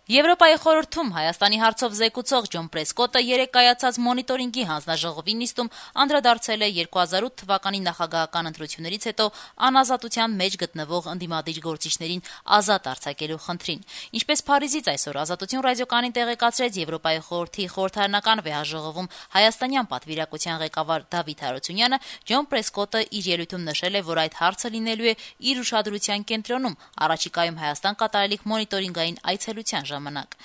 Եվրոպայի խորհրդում Հայաստանի հարցով զեկուցող Ջոն Պրեսկոտը երեկ կայացած մոնիտորինգի հանձնաժողովի նիստում անդրադարձել է 2008 թվականի նախագահական ընտրություններից հետո անազատության մեջ գտնվող ընդդիմադիր գործիչներին ազատ արձակելու խնդրին։ Ինչպես Փարիզից այսօր Ազատություն ռադիոկայանին տեղեկացրեց Եվրոպայի խորհրդի խորհրդարանական վեհաժողովում հայաստանյան պատվիրակության ղեկավար Դավիթ Հարությունյանը, Ջոն Պրեսկոտը իր ելույթում նշել է, որ այդ հարցը լինելու է իր ուշադրության կենտրոնում առաջիկայում Հայաստան կատարելիք մոնիտորինգային այցելության ժամանակ։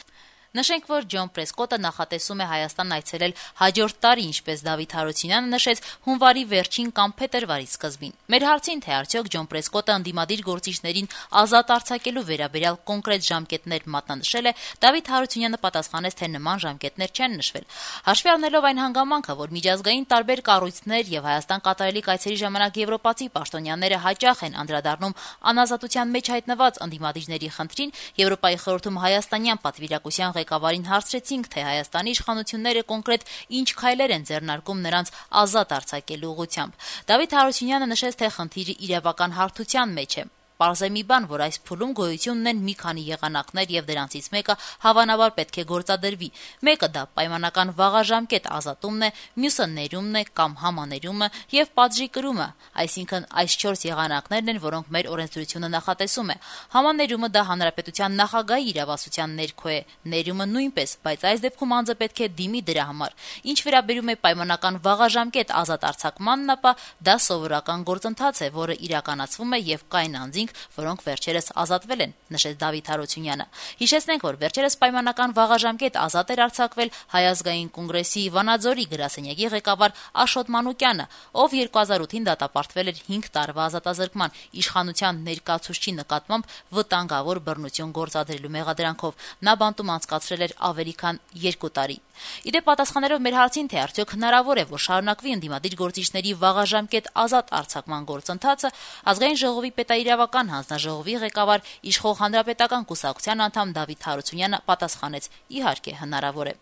Նշենք, որ Ջոն Պրեսկոտը նախատեսում է Հայաստան այցելել հաջորդ տարի, ինչպես Դավիթ Հարությունյանը նշեց, հունվարի վերջին կամ փետրվարի սկզբին։ Մեր հարցին, թե արդյոք Ջոն Պրեսկոտը ընդդիմադիր գործիչներին ազատ արձակելու վերաբերյալ կոնկրետ ժամկետներ մատնանշել է, Դավիթ Հարությունյանը պատասխանեց, թե նման ժամկետներ չեն նշվել։ Հաշվի առնելով այն հանգամանքը, որ միջազգային տարբեր կառույցներ եւ Հայաստան կատարելիք այցերի ժամանակ եվրոպացի պաշտոնյաները հաճախ են անդրադառնում անազատության մեջ հայտնված ընդդիմադիրների խնդրին, Եվրոպայի խորհրդում հայաստանյան պատվիրակության ղեկավարին հարցրեցինք, թե Հայաստանի իշխանությունները կոնկրետ ինչ քայլեր են ձեռնարկում նրանց ազատ արձակելու ուղղությամբ։ Դավիթ Հարությունյանը նշեց, թե խնդիրը իրավական հարթության մեջ է։ Պարզ է մի բան, որ այս փուլում գոյություն ունեն մի քանի եղանակներ եւ դրանցից մեկը հավանաբար պետք է գործադրվի։ Մեկը դա պայմանական վաղաժամկետ ազատումն է, մյուսը ներումն է կամ համաներումը եւ պատժի կրումը, այսինքն այս 4 եղանակներն են, որոնք մեր օրենսդրությունը նախատեսում է։ Համաներումը դա հանրապետության նախագահի իրավասության ներքո է, ներումը նույնպես, բայց այս դեպքում անձը պետք է դիմի դրա համար։ Ինչ վերաբերում է պայմանական վաղաժամկետ ազատ արձակմանն, ապա դա սովորական գործընթաց է, որը իրականացվում է եւ կային անձինք, որոնք վերջերս ազատվել են, նշեց Դավիթ Հարությունյանը։ Հիշեցնենք, որ վերջերս պայմանական վաղաժամկետ ազատ էր արձակվել Հայ ազգային կոնգրեսի Վանաձորի գրասենյակի ղեկավար Աշոտ Մանուկյանը, ով 2008-ին դատապարտվել էր 5 տարվա ազատազրկման իշխանության ներկայացուցչի նկատմամբ վտանգավոր բռնություն գործադրելու մեղադրանքով։ Նա բանտում անցկացրել էր ավելի քան 2 տարի։ Իդեպ պատասխանելով մեր հարցին, թե արդյոք հնարավոր է, որ շարունակվի ընդդիմադիր գործիչների վաղաժամկետ ազատ արձակման գործընթացը, ազգային ժողովի պետաիրավական հանձնաժողովի ղեկավար իշխող հանրապետական կուսակցության անդամ Դավիթ Հարությունյանը պատասխանեց. իհարկե հնարավոր է։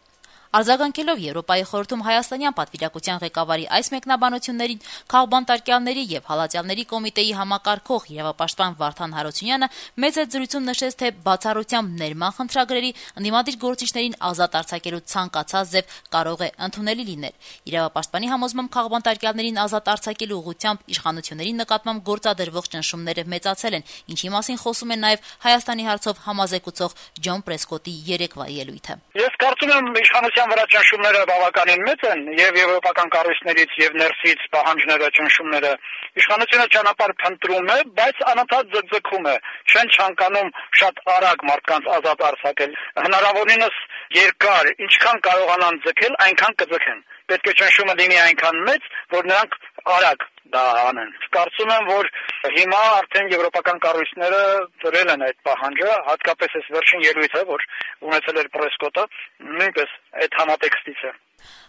Արձագանքելով Եվրոպայի խորհրդում հայաստանյան պատվիրակության ղեկավարի այս մեկնաբանություններին, քաղբանտարկյալների եւ հալածյալների կոմիտեի համակարգող իրավապաշտպան Վարդան Հարությունյանը մեծ զրույցում նշեց, թե բացառությամբ ներման խնդրագրերի ընդդիմադիր գործիչներին ազատ արձակելու ցանկացած ձև կարող է ընդունելի լինել։ Իրավապաշտպանի համոզմամբ քաղբանտարկյալներին ազատ արձակելու ուղղությամբ իշխանությունների նկատմամբ գործադրվող ճնշումները մեծացել են, ինչի մասին խոսում է նաեւ Հայաստանի հարցով համազեկուցող Ջոն Պրեսկոտի երեկվա ելույթը։ Ես կարծում եմ իշխանության վրա ճնշումները բավականին մեծ են եւ եվրոպական կառույցներից եւ ներսից պահանջները, ճնշումները իշխանությունը ճանապարհ փնտրում է, բայց անընդհատ ձգձգում է, չեն ցանկանում շատ արագ մարդկանց ազատ արձակել։ Հնարավորինս երկար, ինչքան կարողանան ձգել, այնքան կձգեն։ Պետք է ճնշումը լինի այնքան մեծ, որ նրանք արագ դա անեն։ Կարծում եմ, որ հիմա արդեն եվրոպական կառույցները դրել են այդ պահանջը, հատկապես այս վերջին ելույթը, որ ունեցել էր Պրեսկոտը, նույնպես այդ համատեքստից է։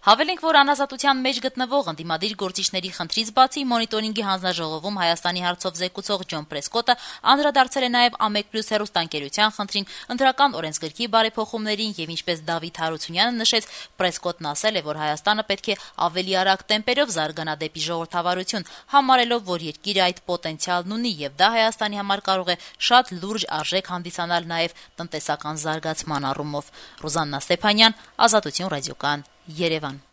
Հավելենք, որ անազատության մեջ գտնվող ընդդիմադիր գործիչների խնդրից բացի մոնիտորինգի հանձնաժողովում Հայաստանի հարցով զեկուցող Ջոն Պրեսկոտը անդրադարձել է նաև A1+ հեռուստաընկերության խնդրին, ընտրական օրենսգրքի բարեփոխումներին եւ ինչպես Դավիթ Հարությունյանը նշեց, Պրեսկոտն ասել է, որ Հայաստանը պետք է ավելի արագ տեմպերով զարգանա դեպի ժողովրդավարություն, համարելով, որ երկիրը այդ պոտենցիալն ունի եւ դա Հայաստանի համար կարող է շատ լուրջ արժեք հանդիսանալ նաև տնտեսական զարգացման առումով։ Ռուզաննա Ստեփանյան, Ազատություն ռադիոկայան, Երևան։